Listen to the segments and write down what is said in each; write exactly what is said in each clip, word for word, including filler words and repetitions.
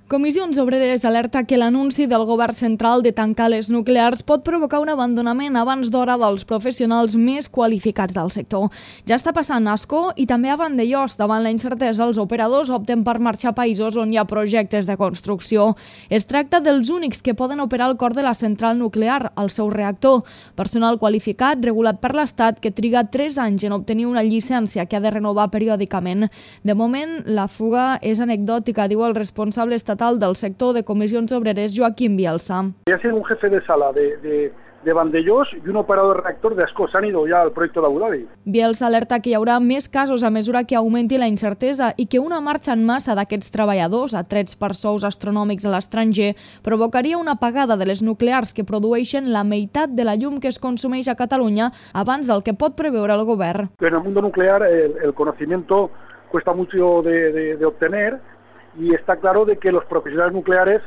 Comissions Obreres alerta que l'anunci del govern central de tancar les nuclears pot provocar un abandonament abans d'hora dels professionals més qualificats del sector. Ja està passant a Ascó i també a Vandellòs. Davant la incertesa, els operadors opten per marxar a països on hi ha projectes de construcció. Es tracta dels únics que poden operar al cor de la central nuclear, el seu reactor. Personal qualificat, regulat per l'Estat, que triga tres anys en obtenir una llicència que ha de renovar periòdicament. De moment, la fuga és anecdòtica, diu el responsable estatal del sector de Comissions Obreres, Joaquim Bielsa. Ya sea un jefe de sala de, de, de Vandellòs y un operador de reactor de Ascó. Se han ido ya al proyecto de Abu Dhabi. Bielsa alerta que hi haurà més casos a mesura que augmenti la incertesa i que una marxa en massa d'aquests treballadors, atrets per sous astronòmics a l'estranger, provocaria una apagada de les nuclears que produeixen la meitat de la llum que es consumeix a Catalunya abans del que pot preveure el govern. En el mundo nuclear el, el conocimiento cuesta mucho de, de, de obtener. Y está claro de que los profesionales nucleares,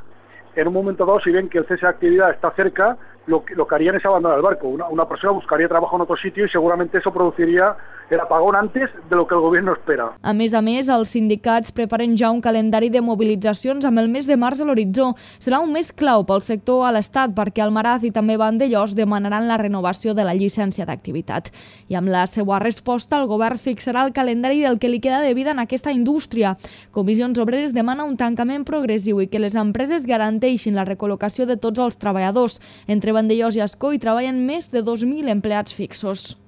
en un momento dado, si ven que el cese de actividad está cerca, lo que, lo que harían es abandonar el barco. Una, una persona buscaría trabajo en otro sitio y seguramente eso produciría el apagón antes de lo que el gobierno espera. A més a més, els sindicats preparen ja un calendari de mobilitzacions amb el mes de març a l'horitzó. Serà un mes clau pel sector a l'Estat perquè Almaraz i també Vandellòs demanaran la renovació de la llicència d'activitat. I amb la seva resposta, el govern fixarà el calendari del que li queda de vida en aquesta indústria. Comissions Obreres demana un tancament progressiu i que les empreses garanteixin la recol·locació de tots els treballadors. Entre Vandellòs i Ascó hi treballen més de dos mil empleats fixos.